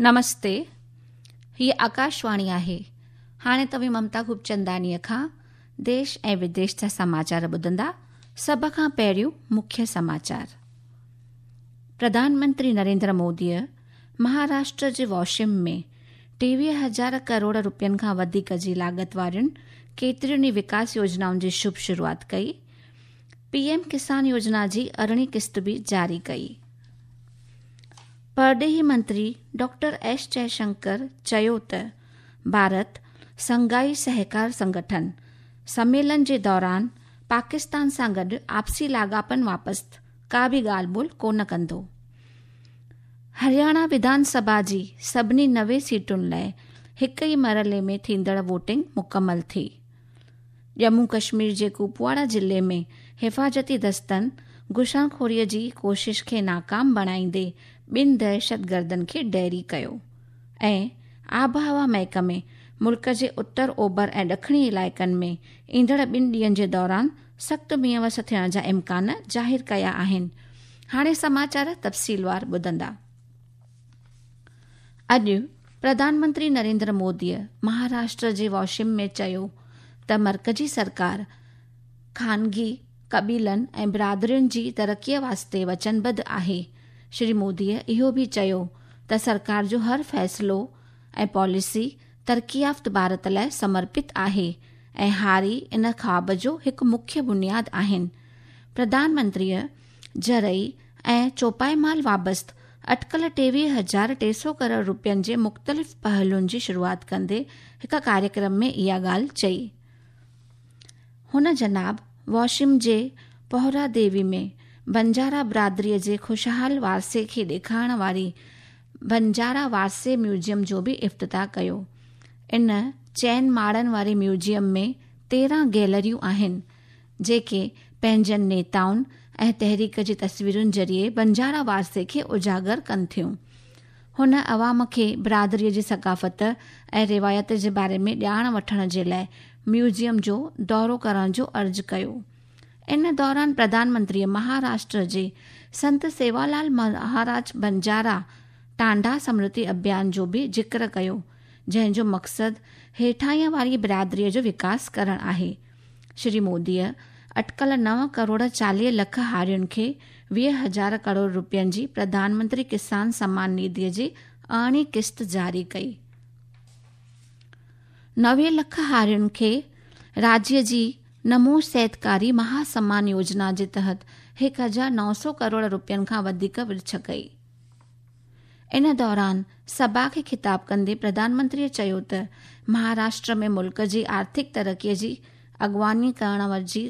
نمستي، هيء آڪاشواڻي آهي. هاڻي توهين ممتا خوبچنداڻيء کان ديش ۽ وديش جا سماچار ٻڌندا. سڀ کان پهريون مکيه سماچار. پرڌان منتري نريندر موديء مهاراشٽر جي واشم ۾ 23 هزار ڪروڙ روپين کان وڌيڪ جي لاڳت وارين ڪيترين ئي وڪاس يوجنائن جي شڀ شروعات ڪئي. پي ايم ڪسان يوجنا جي ارڙهين قسط به جاري ڪئي. پرڏيهي منتري ڊاڪٽر ايس جئشنڪر چيو ته ڀارت شنگهائي سهڪار سنگٺن سميلن جي دوران پاڪستان سان گڏ آپسي لاڳاپن واپست ڪا به ڳالهه ٻولهه ڪونه ڪندو. هرياڻا وڌان سڀا جي سڀني 90 سيٽن لاء هڪ ئي مرحلي ۾ ٿيندڙ ووٽنگ مڪمل ٿي. ڄمون ڪشمير جي ڪوپواڙا ضلعي ۾ حفاظتي دستن گهسڻخوري جي ڪوشش کي ناڪام بڻائيندي ٻن دهشتگردن کي ڍيري ڪيو ۽ آبهوا محڪمي ملڪ جي اتر اوڀر ۽ ڏکڻي علائقن ۾ ايندڙ ٻن ڏينهن جي دوران سخت مينهن وس ٿيڻ جا امڪان ظاهر ڪيا آهن. هاڻي سماچار تفصيلوار ٻڌندا. اڄ پرڌان منتري نريندر موديء مهاراشٽر جي واشم ۾ چيو ته مرڪزي سرڪار خانگي قبيلن ۽ برادرين جي ترقيء واسطي وچنبڌ آهي. شري موديء اهو به چيو ته سرڪار جو هر فيصلو ۽ پاليسي ترقي يافت ڀارت لاء سمرپت آهي ۽ هاري ان خواب جو هڪ مکيه بنياد آهن. پرڌان منتريء زرعي ۽ چوپائي مال وابست اٽڪل 23,300 ڪروڙ روپين جي مختلف پهلوئن جي شروعات ڪندي هڪ ڪاريڪرم ۾ اها ڳالهه چئي. هن جناب واشم جي پوهرا ديوي ۾ بنجارا برادريء جي خوشحال وارثي کي ڏيکارڻ واري بنجارا وارثي ميوزيم جو به افتتاح ڪيو. ان چئن ماڙن واري ميوزيم ۾ 13 گيلريون آهن، جيڪي پنهنجن نيتائن ۽ تحريڪ جي تصويرن ذريعي بنجارا وارثي کي اجاگر ڪن ٿيون. هن عوام کي برادريء جي ثقافت ۽ روايت جي باري ۾ ڄاڻ وٺڻ جي لاء ميوزيم جو دورو ڪرڻ جو عرض ڪيو. ان دوران پرڌان منتريء مهاراشٽر جي سنت سيوالال مهاراج بنجارا ٽانڊا سمرتي اڀيان جو به ذڪر ڪيو، جنهن جو مقصد هيٺاهينء واري برادريء جو وڪاس ڪرڻ آهي. شري موديء اٽڪل 9 ڪروڙ 40 لک هارين کي 20 هزار ڪروڙ روپين جي پرڌان منتري ڪسان سمان نڌيء جي ارڙهين قسط جاري ڪئي. 90 لک هارين کي راجيه جي نمو سيتڪاري مها سمان يوجنا جي تحت 1900 ڪروڙ روپين کان وڌيڪ ورڇ ڪئي. ان دوران سڀا کي خطاب ڪندي پرڌان منتري چيو ته مهاراشٽر ۾ ملڪ جي آرٿڪ ترقي جي اڳواڻي ڪرڻ جي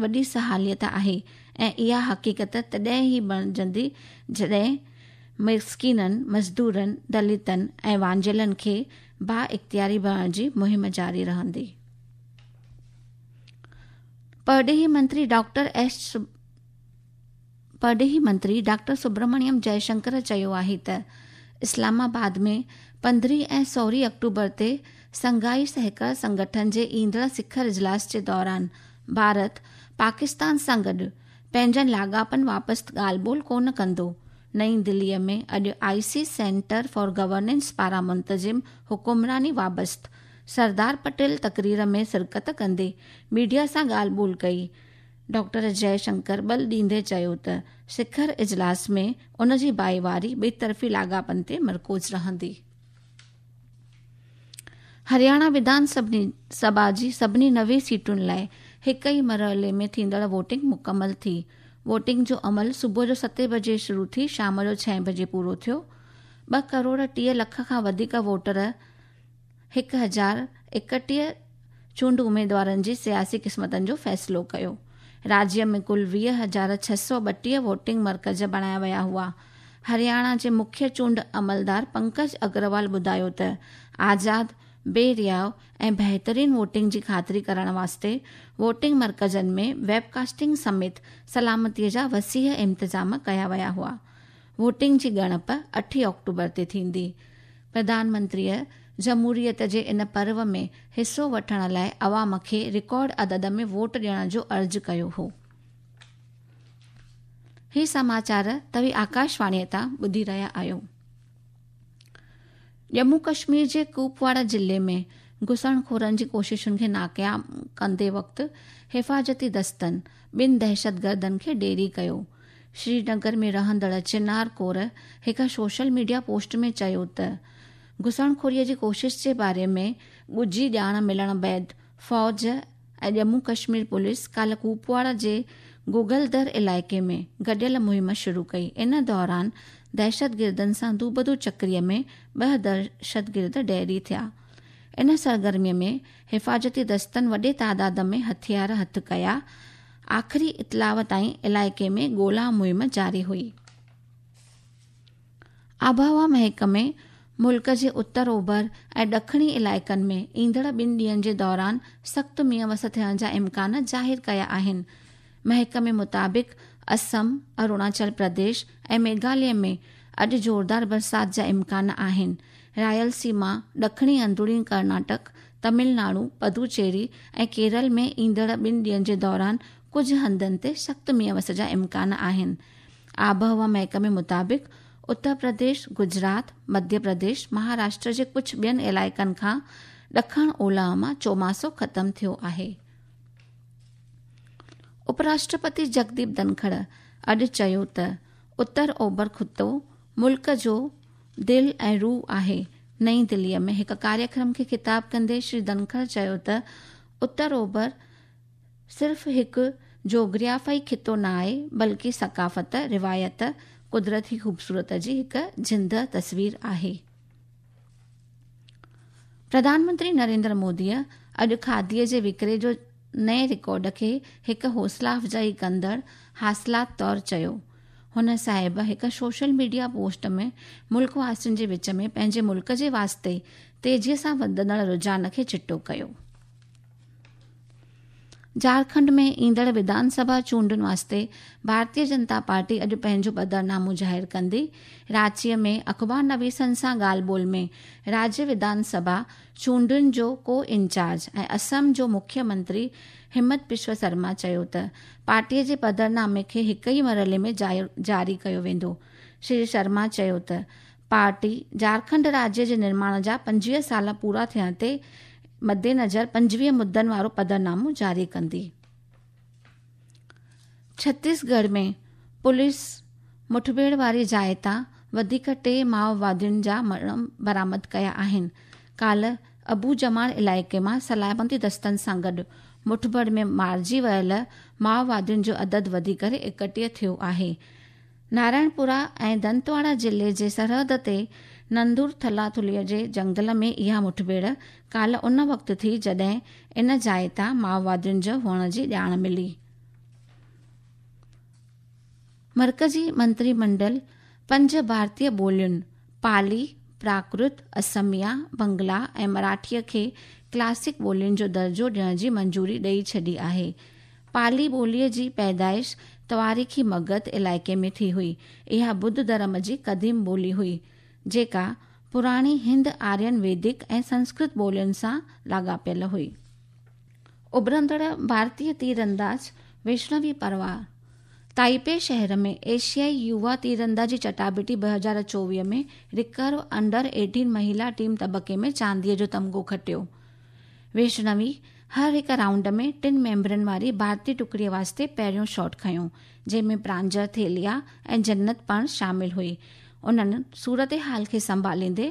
وڏي صلاحيت آهي ۽ اها حقيقت تڏهن ئي بڻجندي جڏهن مسڪينن، مزدورن، دلتن ۽ وانجهيلن کي بااختياري بڻائڻ جي مهم جاري رهندي. پرڏيهي منتري ڊاڪٽر ايس پرڏيهي منتري ڊاڪٽر سبرمڻيم جئه شنڪر چيو آهي ته اسلام آباد ۾ 15 ۽ 16 آڪٽوبر تي شنگهائي سهڪار سنگٺن جي ايندڙ سکر اجلاس جي دوران ڀارت پاڪستان سان گڏ پنهنجن لاڳاپن واپس ڳالهه ٻولهه ڪونه ڪندو. نئين دهلي ۾ اڄ I C centre for governance پاران منتظم حڪمراني وابست سردار پٽيل تقرير ۾ شرڪت ڪندي ميڊيا سان ڳالهه ٻولهه ڪئي. ڊاڪٽر جئه شنڪر ٻل ڏيندي چيو ته سکر اجلاس ۾ ان جي ڀائيواري ٻطرفي لاڳاپن تي مرڪوز رهندي. هرياڻا وڌان سڀا جي سڀني 90 سيٽن لاء هڪ ئي مرحلي ۾ ٿيندڙ ووٽنگ مڪمل ٿي. ووٽنگ جو عمل صبح جو ستين بجي شروع ٿي شام جو ڇهين بجي پورو ٿيو. ٻه ڪروڙ 30 لک کان وڌيڪ ووٽر 1031 چونڊ اميدوارن جي سياسي قسمتن جو فيصلو ڪيو. راجيه ۾ ڪل 20,632 ووٽنگ مرڪز بڻايا ويا هئا. هرياڻا جي مکيه چونڊ عملدار پنڪج اگروال ٻڌايو ته آزاد، بي رياء ۽ بهترين ووٽنگ جي خاطري ڪرڻ واسطي ووٽنگ مرڪزن ۾ ويب ڪاسٽنگ سميت سلامتي جا وسيع انتظام ڪيا ويا هئا. ووٽنگ جي ڳڻپ 8 آڪٽوبر تي ٿيندي. پرڌان منتريء جمهوريت جي ان پرو ۾ حصو وٺڻ لاء عوام کي رڪارڊ عدد ۾ ووٽ ڏيڻ جو عرض ڪيو هو. هي سماچار توهين آڪاشواڻيء تان ٻڌي رهيا آهيو. ڄمون ڪشمير جي ڪوپواڙا ضلعي ۾ گهسڻخورن جي ڪوششن کي ناڪام ڪندي وقت حفاظتي دستن ٻن دهشتگردن کي ڍيري ڪيو. سرينگر ۾ رهندڙ چنار ڪور هڪ سوشل ميڊيا پوسٽ ۾ چيو ته گهسڻخوري جي ڪوشش جي باري ۾ ڳجهي ڄاڻ ملڻ بعد فوج ۽ ڄمون ڪشمير پوليس ڪالهه ڪوپواڙا جي گوگلدر علائقي ۾ گڏيل مهم شروع ڪئي. ان دوران دهشتگردن سان دوبدو چڪري ۾ ٻه دهشتگرد ڍيري ٿيا. ان سرگرمي ۾ حفاظتي دستن وڏي تعداد ۾ هٿيار هٿ ڪيا. آخري اطلاع تائين علائقي ۾ ڳولا مهم جاري هئي. آبهوا محڪمي ملڪ جي اتر اوڀر ۽ ڏکڻي علائقن ۾ ايندڙ ٻن ڏينهن جي دوران سخت مينهن وس ٿيڻ جا امڪان ظاهر ڪيا آهن. محڪمي مطابق اسم، اروناچل پرديش ۽ ميگهاليه ۾ اڄ زوردار برسات جا امڪان آهن. رائل سيما، ڏکڻي اندروني ڪرناٽڪ، تمل ناڊو، پدوچيري ۽ ڪيرل ۾ ايندڙ ٻن ڏينهن جي دوران ڪجهه هنڌن تي سخت مينهن وس جا امڪان آهن. آبهوا محڪمي مطابق اتر پرديش، گجرات، مڌيه پرديش، مهاراشٽر جي ڪجهه ٻين علائقن کان ڏکڻ اولهه مان چوماسو ختم ٿيو آهي. اپراشٽرپتي جگديپ ڌنکڙ اڄ چيو ته اتر اوڀر خطو ملڪ جو دل ۽ روح آهي. نئين دلي ۾ هڪ ڪاريڪرم کي خطاب ڪندي شري ڌنکڙ چيو ته اتر اوڀر صرف هڪ جغرافيائي خطو نه آهي، بلڪه ثقافت، روايت، قدرتي خوبصورت جي هڪ زنده تصوير آهي. پرڌان منتري نريندر موديء اڄ کاديء جي وڪري جو نئين رڪارڊ کي هڪ حوصلا افزائي ڪندڙ حاصلات طور چيو. هن صاحب هڪ سوشل ميڊيا پوسٽ ۾ ملڪ واسين جي وچ ۾ پنهنجي ملڪ جي واسطي تيزيء سان وڌندڙ رجحان کي چٽو ڪيو. جهارکنڊ ۾ ايندڙ وڌان سڀا چونڊن واسطي ڀارتيه جنتا پارٽي اڄ پنهنجو پڌرنامو ظاهر ڪندي. رانچيء ۾ اخبار نويسن سان ڳالهه ٻولهه ۾ راجيه وڌان سڀا چونڊن جو ڪو انچارج ۽ اسم جو مکيه منتري همت بشو سرما چيو ته پارٽيء جي پڌرنامي کي هڪ ئي مرحلي ۾ جاري ڪيو ويندو. شري شرما چيو ته پارٽي جهارکنڊ راجيه جي نرماڻ جا 25 سال پورا ٿيڻ تي مدنظر 25 مدن وارو پڌرنامو جاري ڪندي. ڇتيسڳڙهه ۾ پوليس مٺڀيڙ واري جاء تان وڌيڪ ٽي مائووادين جا مڙهه برآمد ڪيا آهن. ڪالهه ابو جمال علائقي مان سلامتي دستن سان گڏ مٺڀيڙ ۾ مارجي ويل مائووادين جو عدد وڌي ڪري 31 ٿيو آهي. نارائڻپورا ۽ دنتواڙا ضلعي جي سرحد تي نندور ٿلا ٿلهي جي جنگل ۾ اها مٺڀيڙ ڪالهه ان وقت ٿي جڏهن ان جاء تان مائووادين جو هئڻ جي ڄاڻ ملي. مرڪزي منتري منڊل پنج ڀارتي ٻولين پالي، پراڪرت، اسميا، بنگلا ۽ مراٺيء کي ڪلاسڪ ٻولين جو درجو ڏيڻ جي منظوري ڏئي ڇڏي آهي. پالي ٻوليء جي پيدائش تواريخي مگڌ علائقي ۾ ٿي هئي. اها ٻڌ ڌرم جي قديم ٻولي هئي، جيڪا پراڻي هند آرين ويدڪ ۽ سنسڪرت ٻولين سان لاڳاپيل هئي. اڀرندڙ ڀارتي تيرانداز ويشنوي پروار تائپي شهر ۾ ايشيائي يووا تيراندازي چٽاڀيٽي 2024 ۾ ريڪرو انڊر 18 مهيلا ٽيم طبقي ۾ چانديء جو تمغو کٽيو. ويشنوي هر هڪ رائونڊ ۾ ٽن ميمبرن واري ڀارتي ٽڪڙيء واسطي پهريون شاٽ کنيو، جنهن ۾ پرانجر ٿيليا ۽ جنت پڻ شامل هئي. انهن صورتحال کي سنڀاليندي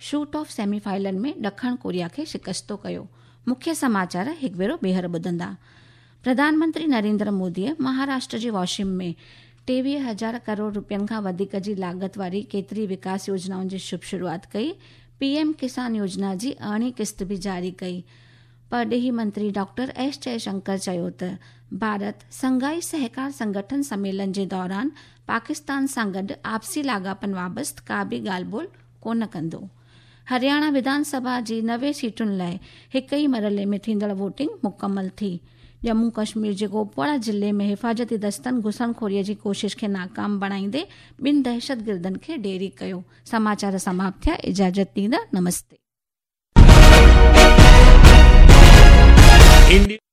شوٽ آف سيمي فائنل ۾ ڏکڻ ڪوريا کي شڪستو ڪيو. مکيه سماچار هڪ ڀيرو ٻيهر ٻڌندا. پرڌان منتري نريندر موديء مهاراشٽر جي واشم ۾ 23,000 ڪروڙ رپين کان وڌيڪ جي لاڳت واري ڪيتري وڪاس يوجنائن جي شڀ شروعات ڪئي. پي ايم ڪسان يوجنا جي ارڙهين قسط به جاري ڪئي. پرڏيهي منتري ڊاڪٽر ايس جئه شنڪر چيو ته ڀارت سنگهائي سهڪار سنگٺن سميلن جي دوران پاڪستان سان گڏ آپسي لاڳاپن وابست ڪا به ڳالهه ٻولهه ڪونه ڪندو. هرياڻا وڌان سڀا جي 90 سيٽن لاء هڪ ئي مرحلي ۾ ٿيندڙ ووٽنگ مڪمل ٿي. ڄمون ڪشمير جي ڪوپواڙا ضلعي ۾ حفاظتي دستن گهسڻخوري جي ڪوشش کي ناڪام بڻائيندي ٻن دهشتگردن کي ڍيري ڪيو. سماچار سماپت ٿيا اجازت ڏيندا نمستي. انڊيا.